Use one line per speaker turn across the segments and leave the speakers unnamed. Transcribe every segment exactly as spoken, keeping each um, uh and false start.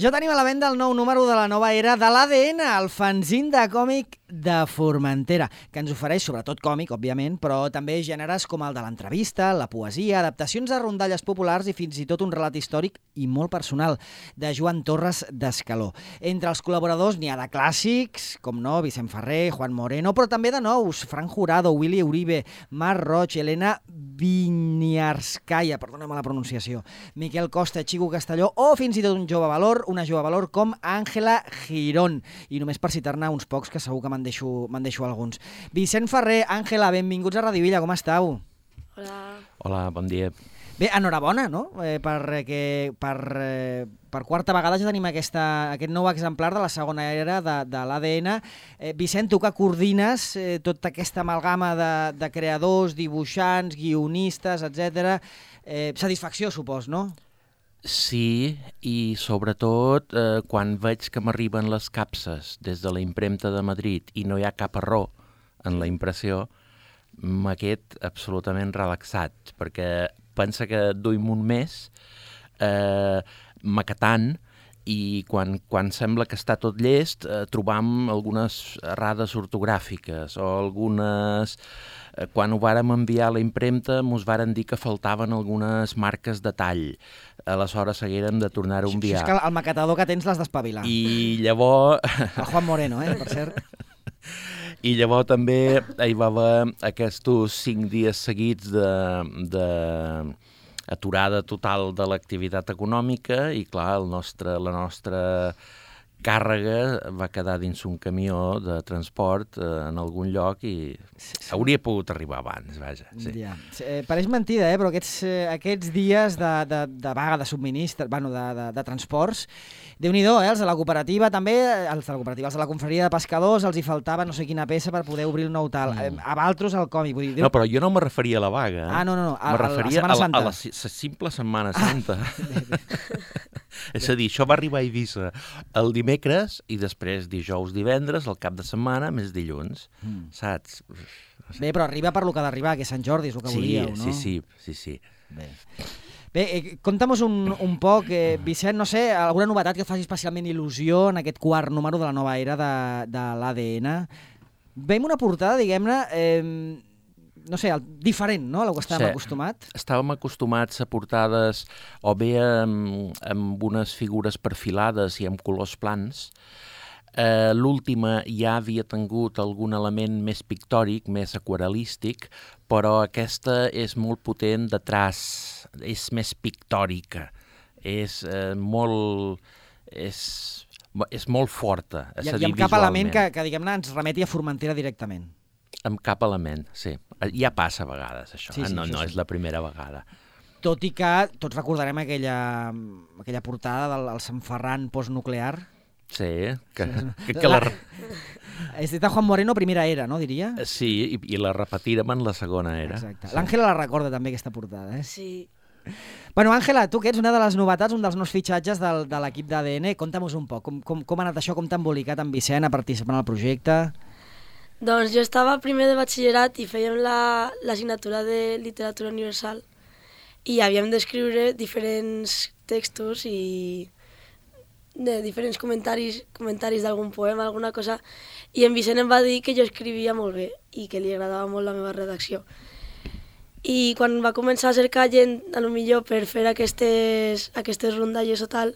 Ja tenim a la venda el nou número de la nova era de l'A D N, el fanzín de còmic de Formentera, que ens ofereix sobretot còmic, òbviament, però també gèneres com el de l'entrevista, la poesia, adaptacions a rondalles populars i fins i tot un relat històric i molt personal, de Joan Torres d'Escaló. Entre els col·laboradors n'hi ha de clàssics, com no, Vicent Ferrer, Juan Moreno, però també de nous, Frank Jurado, Willy Uribe, Marc Roig, Elena Vinyarskaya, perdona'm la pronunciació, Miquel Costa, Chico Castelló, o fins i tot un jove valor, una jove valor com Àngela Girón. I només per citar-ne uns pocs, que segur que me'n deixo, me'n deixo alguns. Vicent Ferrer, Àngela, benvinguts a Radio Villa, com estàu?
Hola.
Hola, bon dia.
Bé, enhorabona, no? Eh, per, que, per, eh, per quarta vegada ja tenim aquesta, aquest nou exemplar de la segona era de, de l'A D N. Eh, Vicent, tu que coordines eh, tota aquesta amalgama de, de creadors, dibuixants, guionistes, etcètera. Eh, satisfacció, supos, no?
Sí, i sobretot eh, quan veig que m'arriben les capses des de la impremta de Madrid i no hi ha cap error en la impressió, m'ha quedat absolutament relaxat, perquè pensa que duim un mes eh, maquetant i quan, quan sembla que està tot llest eh, trobam algunes errades ortogràfiques o algunes... Eh, quan ho vàrem enviar a la impremta mos varen dir que faltaven algunes marques de tall. Aleshores haguérem de tornar-ho a enviar.
Això és que el maquetador que tens l'has d'espavilar.
I llavors...
El Juan Moreno, eh, per cert.
I llavors també hi va haver aquests cinc dies seguits de, de aturada total de l'activitat econòmica i, clar, el nostre, la nostra càrrega va quedar dins un camió de transport eh, en algun lloc i hauria pogut arribar abans, vaja. Sí.
Ja. Eh, pareix mentida, eh, però aquests, eh, aquests dies de, de, de vaga de subministre, bueno, de, de, de transports, Déu-n'hi-do, eh, els de la cooperativa també, els de la cooperativa, els de la confraria de pescadors, els hi faltava no sé quina peça per poder obrir el nou tal. Mm. A Valtros el còmic. Vull dir, Déu...
No, però jo no me referia a la vaga. Eh?
Ah, no, no, no. A,
me referia
a la Setmana Santa.
A la, a la, la simple Setmana Santa. Ah. És a dir, això va arribar a Eivissa el dimecres i després dijous, divendres, el cap de setmana, més dilluns, mm. saps? No
sé. Bé, però arriba per lo que ha d'arribar, que Sant Jordi és el que
sí,
volíeu, no?
Sí, sí, sí, sí.
Bé. Bé, eh, conta'm un, un poc, eh, Vicent, no sé, alguna novetat que faci especialment il·lusió en aquest quart número de la nova era de, de l'A D N. Veiem una portada, diguem-ne, eh, no sé, diferent, no?, a la que estàvem sí. acostumat.
Estàvem acostumats a portades o bé amb, amb unes figures perfilades i amb colors plans. Eh, L'última ja havia tingut algun element més pictòric, més aquarelístic, però aquesta és molt potent de traç, és més pictòrica, és eh, molt... És, és molt forta, és
I,
a dir,
i amb cap element que, que diguem-ne, ens remeti a Formentera directament.
Amb cap element, sí. Ja passa a vegades, això.
Sí, sí,
no,
això
no
sí.
és la primera vegada.
Tot i que tots recordarem aquella, aquella portada del Sant Ferran postnuclear.
Sí, que, que, que la... la...
És de Juan Moreno, primera era, no, diria?
Sí, i, i la repetirem en la segona era.
Exacte.
Sí.
L'Àngela la recorda també, aquesta portada, eh?
Sí.
Bueno, Àngela, tu que ets una de les novetats, un dels nous fitxatges del, de l'equip d'A D N, conta'm-nos un poc, com, com, com ha anat això, com t'ha embolicat en Vicent a participar en el projecte?
Doncs jo estava primer de batxillerat i fèiem l'assignatura la, de literatura universal i havíem d'escriure diferents textos i de diferents comentaris, comentaris d'algun poema, alguna cosa, i en Vicent em va dir que jo escrivia molt bé i que li agradava molt la meva redacció. I quan va començar a cercar gent, a lo millor per fer aquestes, aquestes rondalles o tal,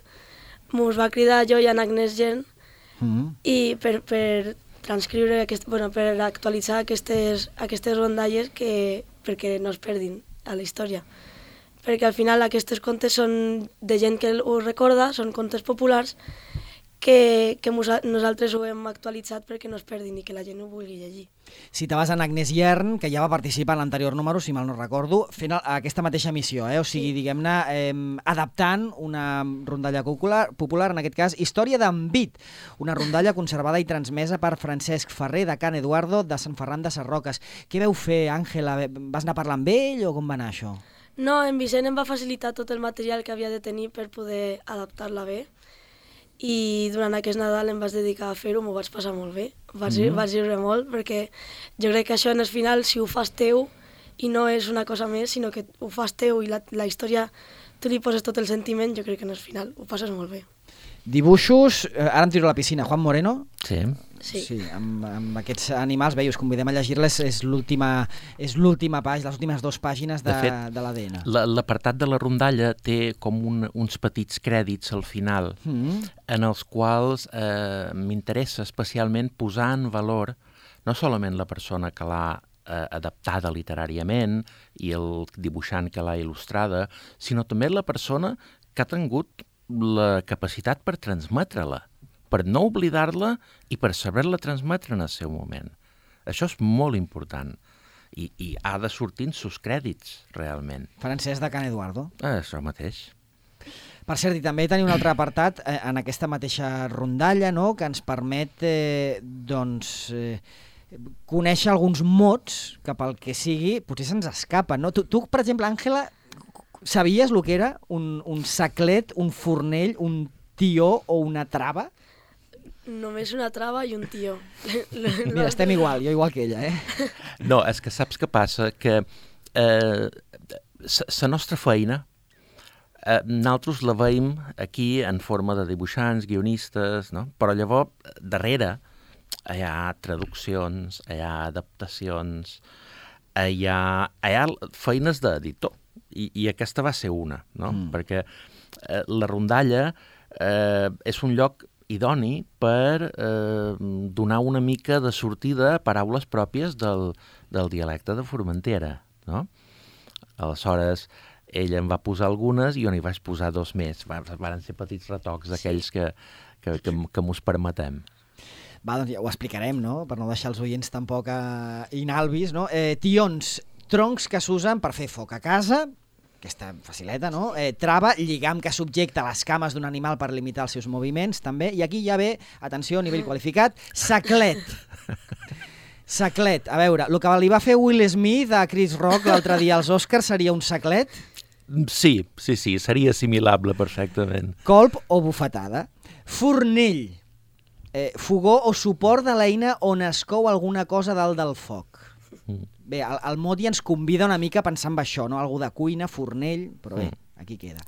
mos va cridar jo i en Agnès Gent mm-hmm. i per, per transcriure, aquest, bueno, per actualitzar aquestes, aquestes rondalles que, perquè no es perdin a la història. Perquè al final aquests contes són de gent que ho recorda, són contes populars que, que nosaltres ho hem actualitzat perquè no es perdin i que la gent ho vulgui llegir.
Citaves en Agnès Yern, que ja va participar en l'anterior número, si mal no recordo, fent aquesta mateixa missió, eh? O sigui, sí. diguem-ne, eh, adaptant una rondalla popular, popular, en aquest cas, Història d'en Vit, una rondalla conservada i transmesa per Francesc Ferrer, de Can Eduardo, de Sant Ferran de Sarroques. Què veu fer, Àngela? Vas anar a parlar amb ell o com va anar això?
No, en Vicent em va facilitar tot el material que havia de tenir per poder adaptar-la bé i durant aquest Nadal em vaig dedicar a fer-ho, m'ho vaig passar molt bé, vaig, mm. vaig riure molt perquè jo crec que això en el final, si ho fas teu i no és una cosa més, sinó que ho fas teu i la, la història tu li poses tot el sentiment, jo crec que en el final ho passes molt bé.
Dibuixos, eh, ara em tiro a la piscina, Juan Moreno.
Sí.
Sí.
Sí, amb, amb aquests animals, bé, us convidem a llegir-les, és l'última és l'última pàgina, les últimes dues pàgines de,
De fet,
de l'A D N.
L'apartat de la rondalla té com un, uns petits crèdits al final,
Mm.
en els quals eh, m'interessa especialment posar en valor no solament la persona que l'ha eh, adaptada literàriament i el dibuixant que l'ha il·lustrada, sinó també la persona que ha tingut la capacitat per transmetre-la, per no oblidar-la i per saber-la transmetre en el seu moment. Això és molt important i, i ha de sortir en sus crèdits, realment.
Francesc de Can Eduardo.
Ah, això mateix.
Per cert, i també teniu un altre apartat eh, en aquesta mateixa rondalla, no?, que ens permet eh, doncs, eh, conèixer alguns mots que pel que sigui potser se'ns escapen, no? Tu, tu per exemple, Àngela, sabies el que era un, un saclet, un fornell, un tió o una trava?
Només una trava i un tió.
Mira, estem igual, jo igual que ella, eh?
No, és que saps què passa? Que eh, la nostra feina, eh, nosaltres la veiem aquí en forma de dibuixants, guionistes, no? Però llavors, darrere, hi ha traduccions, hi ha adaptacions, hi ha, hi ha feines d'editor. I, I aquesta va ser una, no? Mm. Perquè eh, la rondalla eh, és un lloc idoni per eh, donar una mica de sortida a paraules pròpies del, del dialecte de Formentera, no? Aleshores, ell em va posar algunes i jo n'hi vaig posar dos més. Van ser petits retocs d'aquells que, que, que, que mos permetem.
Va, doncs ja ho explicarem, no?, per no deixar els oients tampoc eh, inalvis, no? Eh, tions, troncs que s'usen per fer foc a casa, aquesta facileta, no? Eh, trava, lligam que subjecta les cames d'un animal per limitar els seus moviments, també. I aquí ja ve, atenció, nivell qualificat, saclet. Saclet. A veure, el que li va fer Will Smith a Chris Rock l'altre dia als Oscars seria un saclet?
Sí, sí, sí, seria assimilable perfectament.
Colp o bufetada. Fornell. Eh, fogó o suport de l'eina on es cou alguna cosa dalt del foc. Mm. Bé, el, el mot ja ens convida una mica a pensar en això, no? Algú de cuina, fornell, però bé, aquí queda.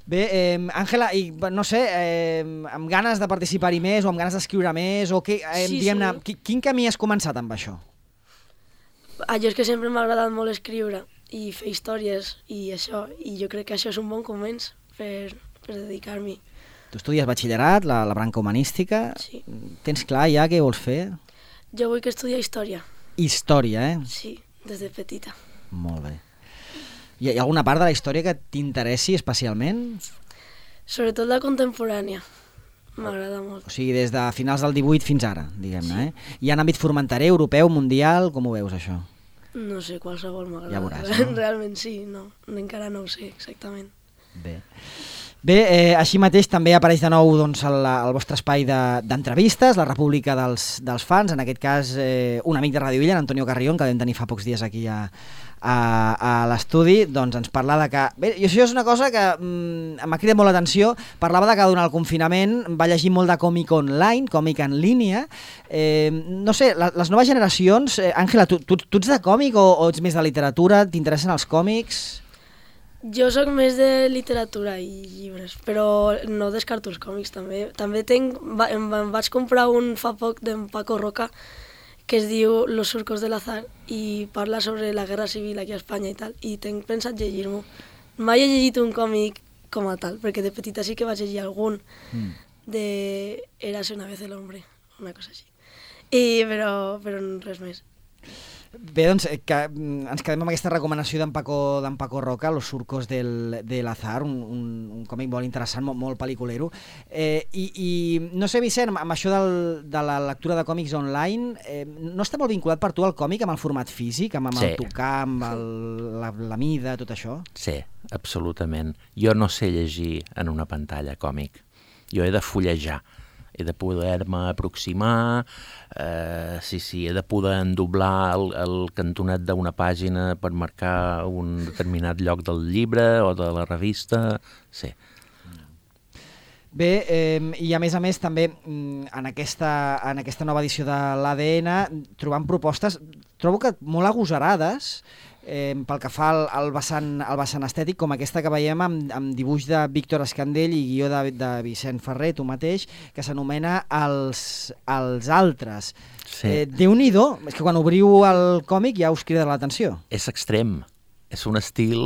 Bé, eh, Àngela, i no sé, eh, amb ganes de participar-hi més o amb ganes d'escriure més, o què, eh,
Sí,
diguem-ne,
sí.
qui- quin camí has començat amb això?
Ah, jo és que sempre m'ha agradat molt escriure i fer històries i això, i jo crec que això és un bon començ per, per dedicar-m'hi.
Tu estudies batxillerat, la, la branca humanística.
Sí.
Tens clar ja què vols fer?
Jo vull que estudiar història,
Història, eh?
sí, des de petita.
Molt bé. Hi ha, hi ha alguna part de la història que t'interessi especialment?
Sobretot la contemporània, m'agrada molt.
O sigui, des de finals del divuit fins ara, diguem-ne, eh? Hi ha en àmbit formenterer, europeu, mundial, com ho veus, això?
No sé, qualsevol m'agrada.
Ja veuràs, no?
Realment sí, no, encara no ho sé exactament.
Bé. Bé, eh, així mateix també apareix de nou doncs, el, el vostre espai d'entrevistes, de, la República dels, dels Fans, en aquest cas eh, un amic de Ràdio Illa, Antonio Carrión, que vam tenir fa pocs dies aquí a, a, a l'estudi, doncs ens parla de que... Bé, i això és una cosa que mm, m'ha cridat molt l'atenció, parlava de que durant el confinament va llegir molt de còmic online, còmic en línia. Eh, no sé, la, les noves generacions... Eh, Àngela, tu, tu, tu ets de còmic o, o ets més de literatura? T'interessen els còmics?
Jo sóc més de literatura i llibres, però no descarto els còmics també. També tenc, va, em, em vaig comprar un fa poc d'en Paco Roca que es diu Los surcos del azar i parla sobre la guerra civil aquí a Espanya i tal, i tenc pensat llegir-m'ho. Mai he llegit un còmic com a tal, perquè de petita sí que vaig llegir algun mm. de Érase una vez el hombre, una cosa així. I, però, però res més.
Bé, doncs, que ens quedem amb aquesta recomanació d'en Paco, d'en Paco Roca, Los surcos del, de l'azar, un, un, un còmic molt interessant, molt, molt pel·liculero. Eh, i, I no sé, Vicent, amb això del, de la lectura de còmics online, eh, no està molt vinculat per tu el còmic amb el format físic, amb, amb
Sí.
el tocar, amb el, la, la mida, tot això?
Sí, absolutament. Jo no sé llegir en una pantalla còmic. Jo he de fullejar. He de poder-me aproximar, eh, sí, sí, he de poder endoblar el, el cantonet d'una pàgina per marcar un determinat lloc del llibre o de la revista, sí.
Bé, eh, i a més a més també en aquesta, en aquesta nova edició de l'A D N trobant propostes, trobo que molt agosarades, eh, pel que fa al, al, vessant, al vessant estètic, com aquesta que veiem amb, amb dibuix de Víctor Escandell i guió de, de Vicent Ferrer, tu mateix, que s'anomena els, els altres.
Sí.
Eh, Déu-n'hi-do, és que quan obriu el còmic ja us crida l'atenció.
És extrem. És un estil,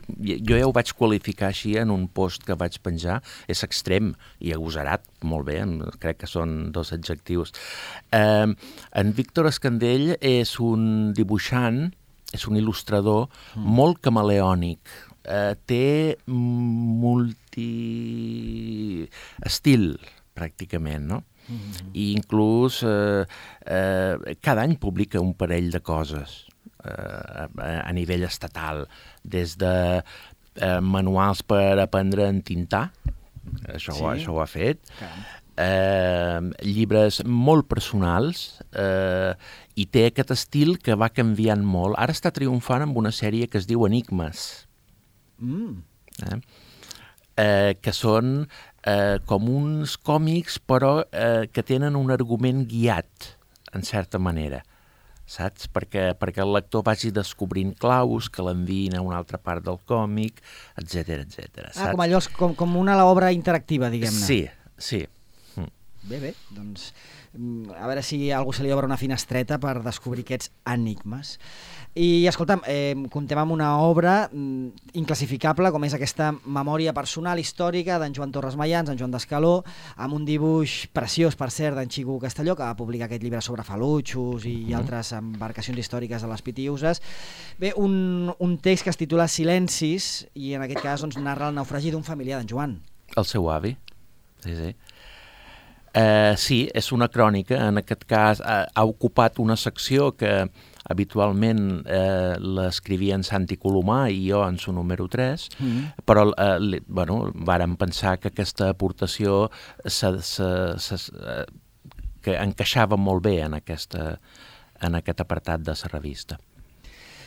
jo ja ho vaig qualificar així en un post que vaig penjar, és extrem i agosarat, molt bé, crec que són dos adjectius. Eh, en Víctor Escandell és un dibuixant, és un il·lustrador mm. molt camaleònic, eh, té multi-estil, pràcticament, no? Mm-hmm. I inclús eh, eh, cada any publica un parell de coses a, a nivell estatal, des de eh, manuals per aprendre a entintar, això, sí. ho, això ho ha fet, eh, llibres molt personals, eh, i té aquest estil que va canviant molt. Ara està triomfant amb una sèrie que es diu Enigmes, mm. eh? Eh, que són eh, com uns còmics, però eh, que tenen un argument guiat, en certa manera. Saps? Perquè, perquè el lector vagi descobrint claus que l'enviïn a una altra part del còmic, etcètera, etcètera.
Ah, com allò, com, com una obra interactiva, diguem-ne.
Sí, sí. Mm.
Bé, bé, doncs a veure si a algú se li obre una finestreta per descobrir aquests enigmes. I, escolta'm, eh, comptem amb una obra mm, inclassificable, com és aquesta memòria personal històrica d'en Joan Torres Mayans, en Joan d'Escaló, amb un dibuix preciós, per cert, d'en Xico Castelló, que va publicar aquest llibre sobre falutxos i mm. altres embarcacions històriques de les Pitiüses. Bé, un, un text que es titula Silencis, i en aquest cas doncs, narra el naufragi d'un familiar d'en Joan.
El seu avi, sí, sí. Eh, sí, és una crònica, en aquest cas ha, ha ocupat una secció que habitualment eh, l'escrivia en Santi Colomà i jo en su número tres, mm. però eh, li, bueno, vàrem pensar que aquesta aportació se, se, se, eh, que encaixava molt bé en, aquesta, en aquest apartat de la revista.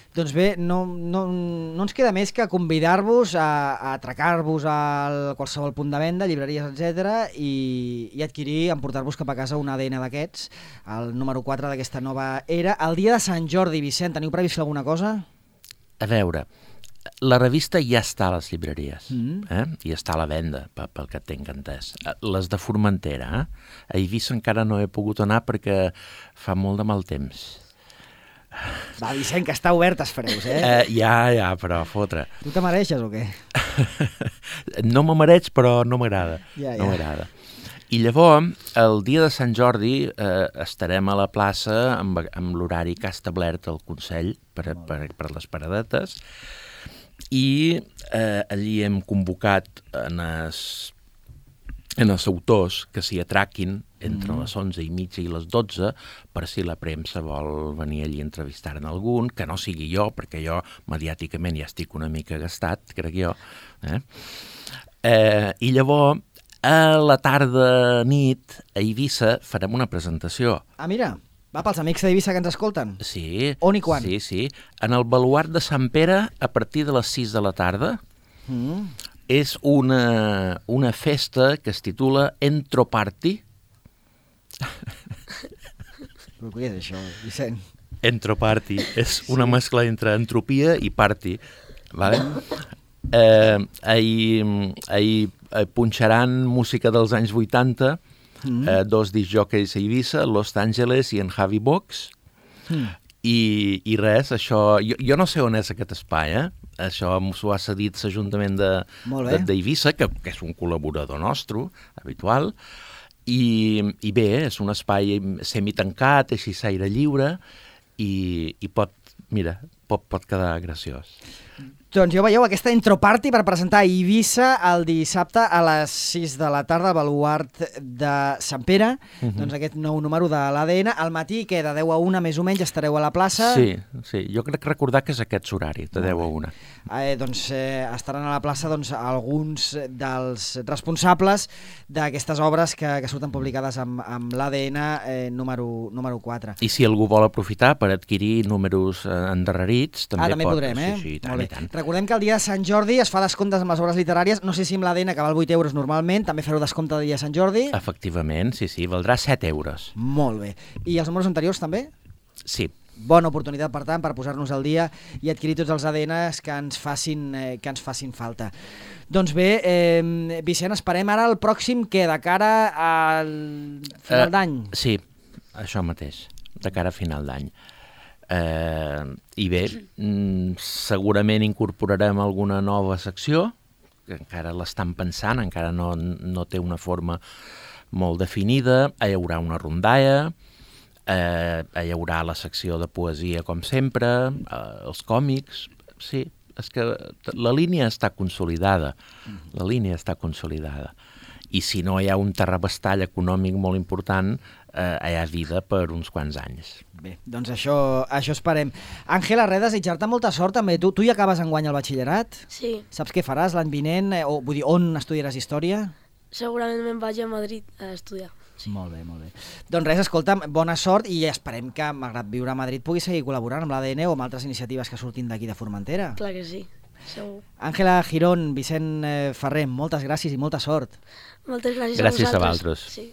Doncs bé, no, no, no ens queda més que convidar-vos a, a atracar-vos a qualsevol punt de venda, llibreries, etcètera, i, i adquirir, emportar-vos cap a casa un A D N d'aquests, el número quatre d'aquesta nova era. El dia de Sant Jordi, Vicent, teniu previst fer alguna cosa?
A veure, la revista ja està a les llibreries, mm. eh? I està a la venda, pel que tinc entès. Les de Formentera, eh? A Eivissa encara no he pogut anar perquè fa molt de mal temps.
Va, Vicent, que està obert els freus, eh?
eh? Ja, ja, però fotre.
Tu te mereixes o què?
No me mereix, però no m'agrada.
Ja, ja.
No m'agrada. I llavors, el dia de Sant Jordi, eh, estarem a la plaça amb, amb l'horari que ha establert el Consell per, per, per les paradetes, i eh, allí hem convocat en els, en els autors que s'hi atraquin entre les onze i mitja i les dotze, per si la premsa vol venir allí a entrevistar-ne algun, que no sigui jo, perquè jo mediàticament ja estic una mica gastat, crec jo. Eh? Eh, I llavors, a la tarda nit, a Eivissa, farem una presentació.
Ah, mira, va pels amics d'Eivissa que ens escolten.
Sí.
On i quan?
Sí, sí. En el baluart de Sant Pere, a partir de les sis de la tarda, mm. és una, una festa que es titula Entro Party.
Però què és això, Vicent?
Entro Party. És una sí. mescla entre entropia i party. Vale? Eh, ahir, ahir punxaran música dels anys vuitanta, mm. eh, dos discjòqueis a Eivissa, Los Angeles i en Javi Box, mm. I, i res, això... Jo, jo no sé on és aquest espai, eh? Això s'ho ha cedit l'Ajuntament d'Eivissa, que, que és un col·laborador nostre, habitual, i, i bé, és un espai semitancat, així s'aire lliure, i, i pot, mira, pot, pot quedar graciós.
Doncs ja veieu, aquesta introparty per presentar a Eivissa el dissabte a les sis de la tarda al baluart de Sant Pere, uh-huh. doncs aquest nou número de l'A D N. Al matí, que de deu a una més o menys estareu a la plaça.
Sí, sí, jo crec recordar que és aquest horari, de deu a una.
Eh, doncs eh, estaran a la plaça doncs, alguns dels responsables d'aquestes obres que, que surten publicades amb, amb l'A D N eh, número, número quatre.
I si algú vol aprofitar per adquirir números eh, endarrerits, també,
ah, també
pot.
podrem, eh?
Sí, sí, tant i tant.
Recordem que el dia de Sant Jordi es fa descomptes amb les obres literàries, no sé si amb l'A D N que val vuit euros normalment, també fareu descompte el dia de Sant Jordi.
Efectivament, sí, sí, valdrà set euros.
Molt bé. I els números anteriors també?
Sí.
bona oportunitat, per tant, per posar-nos al dia i adquirir tots els A D Ns que ens facin, eh, que ens facin falta. Doncs bé, eh, Vicent, esperem ara el pròxim que de cara al final uh, d'any.
Sí, això mateix, de cara a final d'any. Eh, I bé, mm, segurament incorporarem alguna nova secció, que encara l'estan pensant, encara no, no té una forma molt definida. Hi haurà una rondalla, eh, hi haurà la secció de poesia com sempre, eh, els còmics, sí, és que la línia està consolidada, la línia està consolidada. I si no hi ha un terrabastall econòmic molt important, eh, hi ha vida per uns quants anys.
Bé, doncs això, això esperem. Àngela, res, desitjar-te molta sort també. Tu, tu ja acabes enguany el batxillerat?
Sí.
Saps què faràs l'any vinent? Eh, o, vull dir, on estudiaràs història?
Segurament me'n vaig a Madrid a estudiar.
Sí. Molt bé, molt bé. Doncs res, escolta'm, bona sort i esperem que, malgrat viure a Madrid, puguis seguir col·laborant amb l'A D N o amb altres iniciatives que surtin d'aquí de Formentera.
Clar que sí, segur.
Àngela Girón, Vicent Ferrer, moltes gràcies i molta sort.
Moltes gràcies,
gràcies
a vosaltres.
a vosaltres.
Sí.